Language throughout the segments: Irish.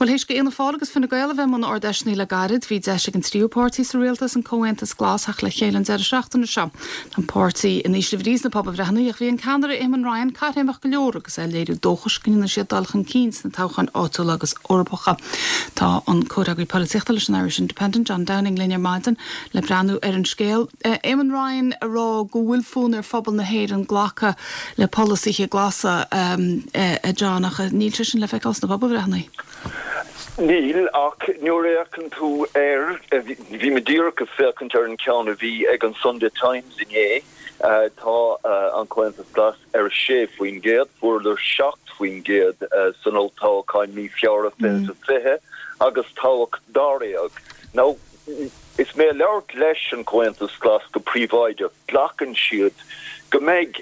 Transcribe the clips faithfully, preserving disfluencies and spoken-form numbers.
Well théis d'Fhianna Fáil agus Fine Gael a bheith i mbun Ard-Fheiseanna le gairid, bhí deis ag an tríú páirtí sa rialtas an Comhaontas Glas theacht le chéile an deireadh seachtaine seo. An páirtí in ísle brí sna pobalbhreitheanna ach bhí an ceannaire Eamon Ryan caithréimeach go leor agus é ag léiriú dóchais go ndéanfaidh siad dul chun cinn sna toghcháin áitiúla agus Eorpacha. Tá an comhfhreagraí polaitíochta leis an Irish Independent John Downing linn ar maidin le breathnú ar an scéal. Uh, Eamon Ryan a rá go bhfuil fonn ar phobal na hÉireann glacadh le polasaithe glasa um, uh, a John ach níl sé sin le feiceáil sna pobalbhreitheanna. Níl ach nuair a fhéachann tú air bhí mé díreach ag féachaint ar an ceann a bhí ag an Sunday Times inné tá an Comhaontas Glas ar sé faoin gcéad fuaireadar seacht faoin gcéad san olltoghchán mí Feabhra fiche fiche agus toghadh dáréag. Now is mé ag labhairt leis an Comhaontas Glas go príobháideach glacann siad go mbeidh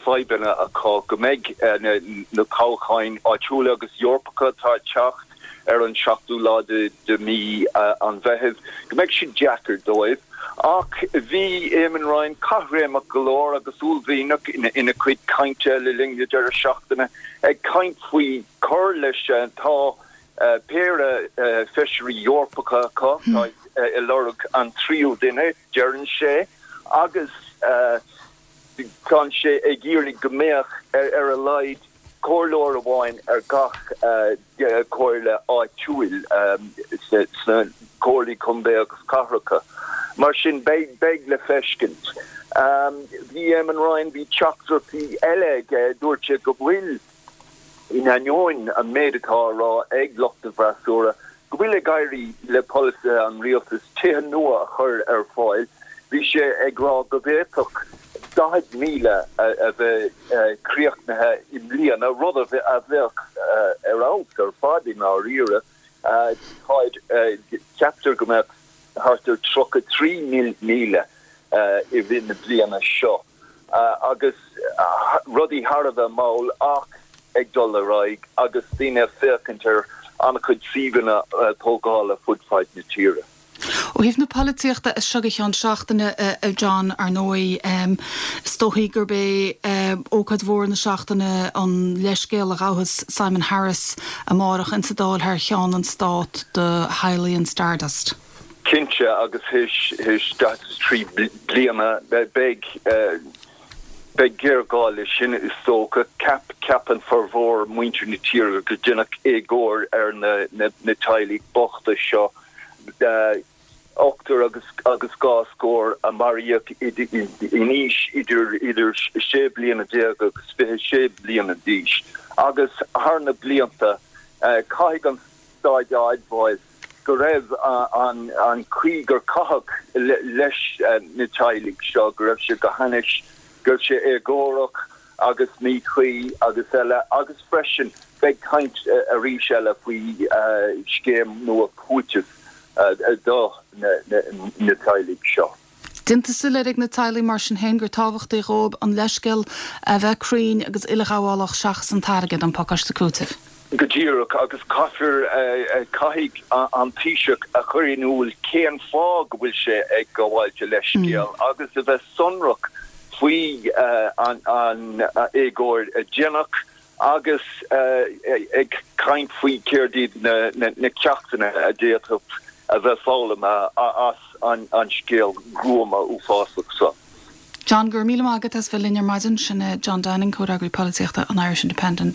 fadhbanna acu go mbeidh na toghcháin áitiúla agus Eorpacha atá teacht ar an seachtú lá de, de mí uh, an Mheithimh, go mbeidh siad deacair dóibh. Ach bhí Eamon Ryan caithréimeach go leor agus uaillmhianach ina, ina chuid cainte le linn na deireadh seachtaine ag caint faoi cur leis tá uh, péire uh, feisirí Eorpacha acu hmm. tá uh, i lorg an tríú duine deireann sé agus uh, tá sé ag iarraidh go mbeadh ar, ar a laghad comhairleoir amháin ar gach uh, comhairle áitiúil um, sna comhairlí contae agus cathracha. Mar sin beidh beidh le feiscint. Um, bhí Eamon Ryan bhí teachtaireachtaí eile aige dúirt sé go bhfuil in ainneoin an méid atá á rá ag lucht an fhreasúra, go bhfuil ag éirí le polasaithe an rialtais tithe nua a chur ar fáil, bhí sé ag rá go bhféadfadh daichead míle a bheith críochnaithe i mbliana rud a bheadh ar fheabhas ar fad i ndáiríre ceaptar go mbeadh thart ar tríocha trí míle i rith na bliana seo agus rudaí thar a bheith mall ach ag dul ar aghaidh agus daoine féachaint ar an-chuid suíomhanna tógála fud fad na tíre. Ó thaobh na polaitíochta is seo go ceann seachtaine a John ar ndóigh is dóichí gurb é ócáid mhór na seachtaine an leithscéal a ghabhfas Simon Harris amárach insa Dáil thar cheann an stáit do theaghlaigh an Stardust. Cinnte agus théis trí bliana beidh beidh géarghá leis sin is dócha ceap ceapann formhór muintir na tíre go ndéanfadh éagóir ar na, na, na teaghlaigh bochta seo. Uh, ochtar agus agus dhá scór a maraíodh in aois idir idir sé bliana déag agus fiche sé bliana d'aois. Agus thar na blianta uh, caithfidh an stát a admháil go raibh uh, an an chaoi gur caitheadh le, leis uh, na teaghlaigh seo go raibh sé go hainnis go raibh sé éagórach agus míchuí agus eile agus freisin beidh caint uh, arís eile faoi uh, scéim nua cúitimh uh, do na, na, na teaghlaigh seo. Déanta soiléir ag na teaghlaigh mar sin féin gur tábhachtaí dóibh an leithscéal a bheith cruinn agus uileghabhálach seachas an t-airgead an pacáiste cúitimh. Go díreach agus caithfear caithfidh an Taoiseach a chur in iúl cén fáth go bhfuil sé ag gabháil leithscéal mm. agus a bheith sonrach faoi uh, an, an uh, éagóir a déanach agus uh, ag caint faoi céard iad na, na, na ceachtanna a d'fhéadfadh a bheith foghlamtha as an, an scéal gruama uafásach seo. John gur míle maith agat as bheith linn ar maidin sin John Downing comhfhreagraí polaitíochta an Irish Independent.